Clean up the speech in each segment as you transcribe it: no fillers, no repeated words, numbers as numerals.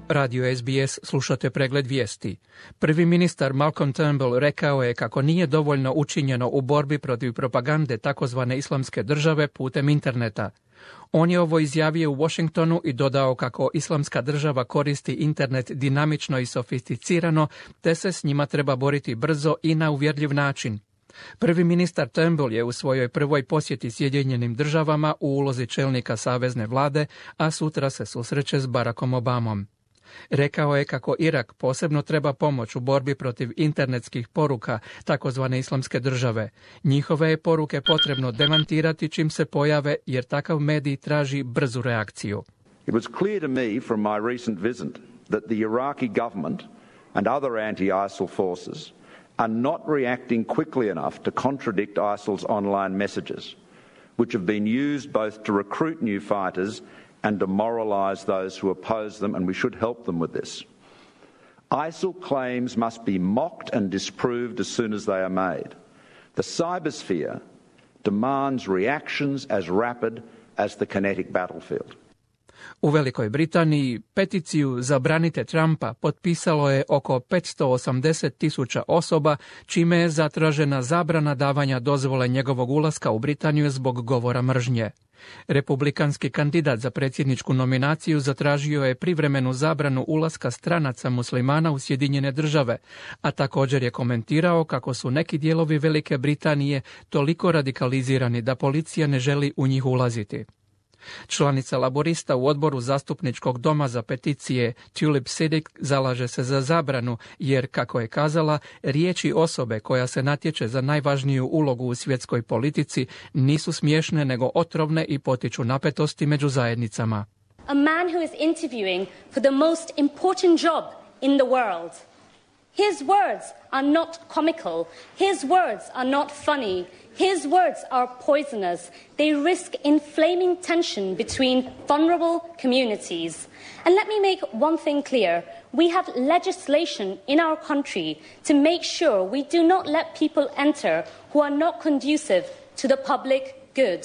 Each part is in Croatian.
Radio SBS, slušate pregled vijesti. Prvi ministar Malcolm Turnbull rekao je kako nije dovoljno učinjeno u borbi protiv propagande takozvane islamske države putem interneta. On je ovo izjavio u Washingtonu i dodao kako islamska država koristi internet dinamično i sofisticirano, te se s njima treba boriti brzo i na uvjerljiv način. Prvi ministar Turnbull je u svojoj prvoj posjeti Sjedinjenim državama u ulozi čelnika savezne vlade, a sutra se susreće s Barackom Obamom. Rekao je kako Irak posebno treba pomoć u borbi protiv internetskih poruka takozvane islamske države. Njihove je poruke potrebno demantirati čim se pojave, jer takav medij traži brzu reakciju. It was clear to me from my recent visit that the Iraqi government and other anti-ISIL forces are not reacting quickly enough to contradict ISIL's online messages, which have been used both to recruit new fighters and demoralize those who oppose them, and we should help them with this. ISIL claims must be mocked and disproved as soon as they are made. The cybersphere demands reactions as rapid as the kinetic battlefield. U Velikoj Britaniji peticiju Zabranite Trumpa potpisalo je oko 580.000 osoba, čime je zatražena zabrana davanja dozvole njegovog ulaska u Britaniju zbog govora mržnje. Republikanski kandidat za predsjedničku nominaciju zatražio je privremenu zabranu ulaska stranaca muslimana u Sjedinjene države, a također je komentirao kako su neki dijelovi Velike Britanije toliko radikalizirani da policija ne želi u njih ulaziti. Članica laborista u odboru zastupničkog doma za peticije Tulip Siddiq zalaže se za zabranu jer, kako je kazala, riječi osobe koja se natječe za najvažniju ulogu u svjetskoj politici nisu smiješne nego otrovne i potiču napetosti među zajednicama. A man who is interviewing for the most important job in the world. His words are not comical. His words are not funny. His words are poisonous. They risk inflaming tension between vulnerable communities. And let me make one thing clear. We have legislation in our country to make sure we do not let people enter who are not conducive to the public good.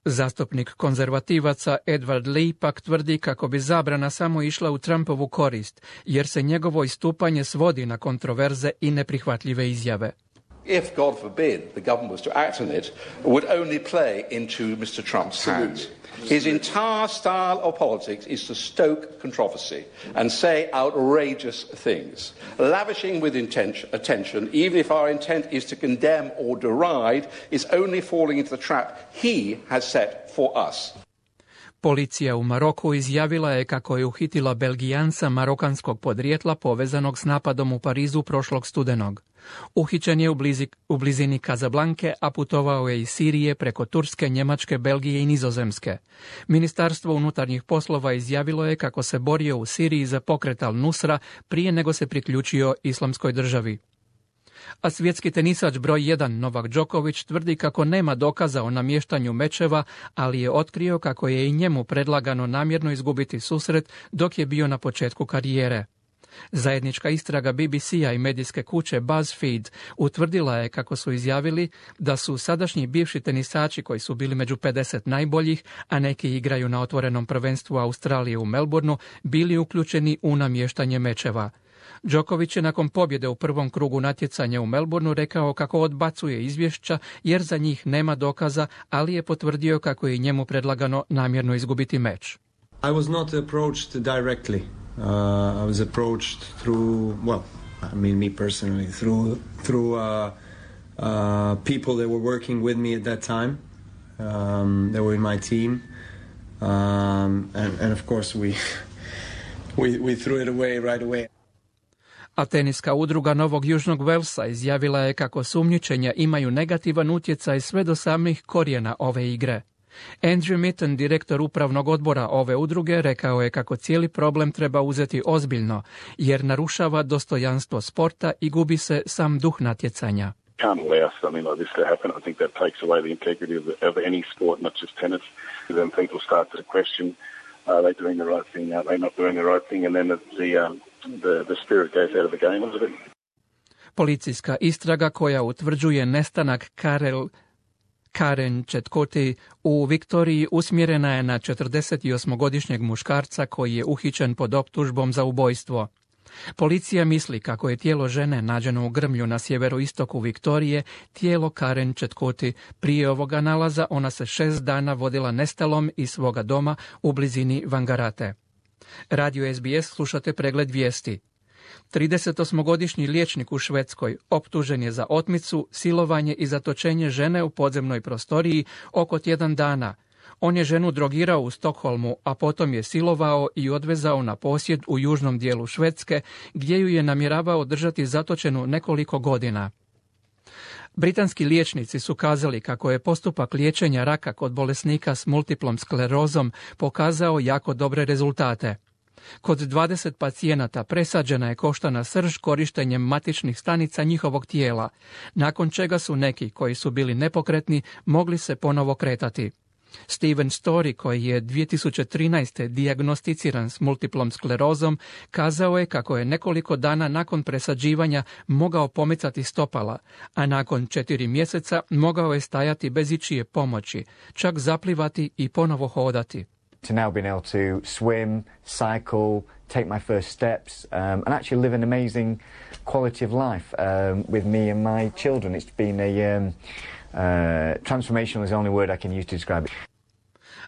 Zastupnik konzervativaca Edward Lee pak tvrdi kako bi zabrana samo išla u Trumpovu korist, jer se njegovo istupanje svodi na kontroverze i neprihvatljive izjave. If, God forbid, the government was to act on it, would only play into Mr. Trump's hands. His entire style of politics is to stoke controversy and say outrageous things, lavishing with attention, even if our intent is to condemn or deride, is only falling into the trap he has set for us. Policija u Maroku izjavila je kako je uhitila Belgijanca marokanskog podrijetla povezanog s napadom u Parizu prošlog studenog. Uhićen je u blizini Kazablanke, a putovao je iz Sirije preko Turske, Njemačke, Belgije i Nizozemske. Ministarstvo unutarnjih poslova izjavilo je kako se borio u Siriji za pokret Al-Nusra prije nego se priključio Islamskoj državi. A svjetski tenisač broj 1 Novak Đoković tvrdi kako nema dokaza o namještanju mečeva, ali je otkrio kako je i njemu predlagano namjerno izgubiti susret dok je bio na početku karijere. Zajednička istraga BBC-a i medijske kuće BuzzFeed utvrdila je kako su izjavili da su sadašnji bivši tenisači koji su bili među 50 najboljih, a neki igraju na otvorenom prvenstvu Australije u Melbourneu, bili uključeni u namještanje mečeva. Đoković je nakon pobjede u prvom krugu natjecanja u Melbourneu rekao kako odbacuje izvješća jer za njih nema dokaza, ali je potvrdio kako je njemu predlagano namjerno izgubiti meč. I was not approached directly. I was approached through, me personally, through people that were working with me at that time. They were in my team. And of course we threw it away right away. A teniska udruga Novog Južnog Velsa izjavila je kako sumnjičenja imaju negativan utjecaj sve do samih korijena ove igre. Andrew Mitten, direktor upravnog odbora ove udruge, rekao je kako cijeli problem treba uzeti ozbiljno, jer narušava dostojanstvo sporta i gubi se sam duh natjecanja. Can't allow something like this to happen. I think that takes away the integrity of any sport, not just tennis. Then people start to question, are they doing the right thing, are they not doing the right thing, and then the spirit goes out of the game a little bit. Policijska istraga koja utvrđuje nestanak Karen Chetkoti u Viktoriji usmjerena je na 48-godišnjeg muškarca koji je uhićen pod optužbom za ubojstvo. Policija misli kako je tijelo žene nađeno u grmlju na sjeveroistoku Viktorije tijelo Karen Chetkoti. Prije ovoga nalaza ona se 6 dana vodila nestalom iz svoga doma u blizini Vangarate. Radio SBS slušate pregled vijesti. 38-godišnji liječnik u Švedskoj optužen je za otmicu, silovanje i zatočenje žene u podzemnoj prostoriji oko tjedan dana. On je ženu drogirao u Stokholmu, a potom je silovao i odvezao na posjed u južnom dijelu Švedske, gdje ju je namjeravao držati zatočenu nekoliko godina. Britanski liječnici su kazali kako je postupak liječenja raka kod bolesnika s multiplom sklerozom pokazao jako dobre rezultate. Kod 20 pacijenata presađena je koštana srž korištenjem matičnih stanica njihovog tijela, nakon čega su neki koji su bili nepokretni mogli se ponovo kretati. Steven Story, koji je 2013. dijagnosticiran s multiplom sklerozom, kazao je kako je nekoliko dana nakon presađivanja mogao pomicati stopala, a nakon 4 mjeseca mogao je stajati bez ičije pomoći, čak zaplivati i ponovo hodati. To now being able to swim, cycle, take my first steps, and actually live an amazing quality of life with me and my children. It's been transformational is the only word I can use to describe it.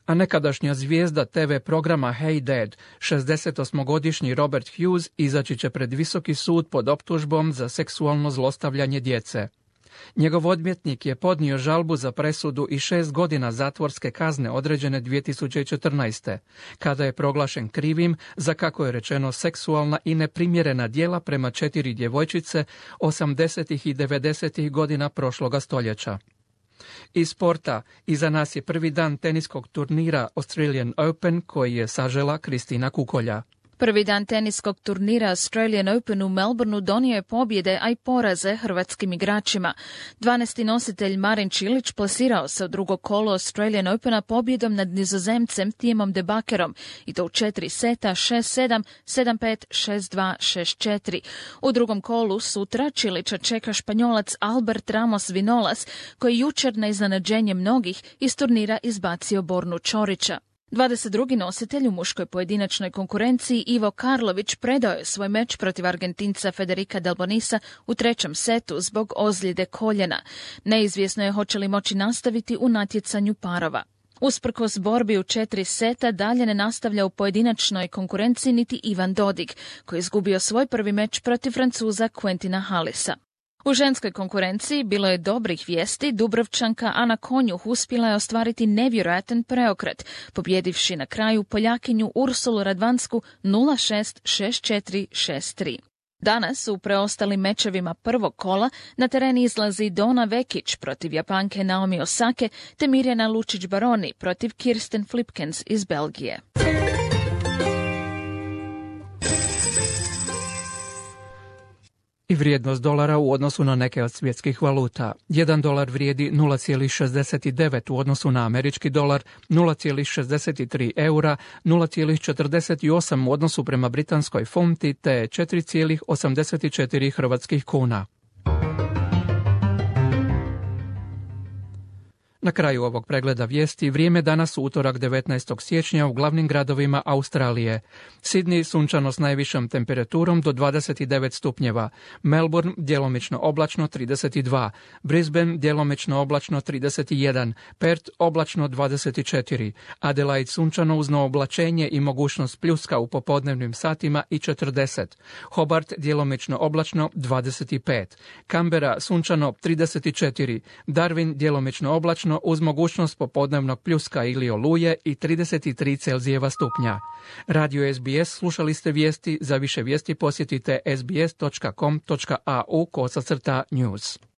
A nekadašnja zvijezda TV programa Hey Dad, 68-godišnji Robert Hughes, izaći će pred visoki sud pod optužbom za seksualno zlostavljanje djece. Njegov odvjetnik je podnio žalbu za presudu i 6 godina zatvorske kazne određene 2014. kada je proglašen krivim za, kako je rečeno, seksualna i neprimjerena djela prema 4 djevojčice 80. i 90. godina prošloga stoljeća. Iz sporta, iza nas je prvi dan teniskog turnira Australian Open koji je sažela Kristina Kukolja. Prvi dan teniskog turnira Australian Open u Melbourneu donio je pobjede, a i poraze hrvatskim igračima. 12. nositelj Marin Čilić plasirao se u drugo kolo Australian Opena pobjedom nad Nizozemcem Timom de Bakerom, i to u 4 seta 6-7, 7-5, 6-2, 6-4. U drugom kolu sutra Čilića čeka Španjolac Albert Ramos Vinolas, koji jučer na iznenađenje mnogih iz turnira izbacio Bornu Čorića. 22. nositelj u muškoj pojedinačnoj konkurenciji Ivo Karlović predao je svoj meč protiv Argentinca Federica Delbonisa u 3. setu zbog ozljede koljena. Neizvjesno je hoće li moći nastaviti u natjecanju parova. Usprkos borbi u 4 seta dalje ne nastavlja u pojedinačnoj konkurenciji niti Ivan Dodig, koji je izgubio svoj prvi meč protiv Francuza Quentina Hallisa. U ženskoj konkurenciji bilo je dobrih vijesti. Dubrovčanka Ana Konjuh uspjela je ostvariti nevjerojatan preokret, pobjedivši na kraju Poljakinju Ursulu Radvansku 0-6, 6-4, 6-3. Danas u preostalim mečevima prvog kola na teren izlazi Dona Vekić protiv Japanke Naomi Osake te Mirjana Lučić-Baroni protiv Kirsten Flipkens iz Belgije. I vrijednost dolara u odnosu na neke od svjetskih valuta. 1 dolar vrijedi 0,69 u odnosu na američki dolar, 0,63 eura, 0,48 u odnosu prema britanskoj funti te 4,84 hrvatskih kuna. Na kraju ovog pregleda vijesti vrijeme danas u utorak 19. siječnja u glavnim gradovima Australije. Sydney sunčano s najvišom temperaturom do 29 stupnjeva, Melbourne djelomično oblačno 32, Brisbane djelomično oblačno 31, Perth oblačno 24, Adelaide sunčano uz oblačenje i mogućnost pljuska u popodnevnim satima i 40, Hobart djelomično oblačno 25, Canberra sunčano 34, Darwin djelomično oblačno uz mogućnost popodnevnog pljuska ili oluje i 33 Celzijeva stupnja. Radio SBS slušali ste vijesti. Za više vijesti posjetite sbs.com.au/news.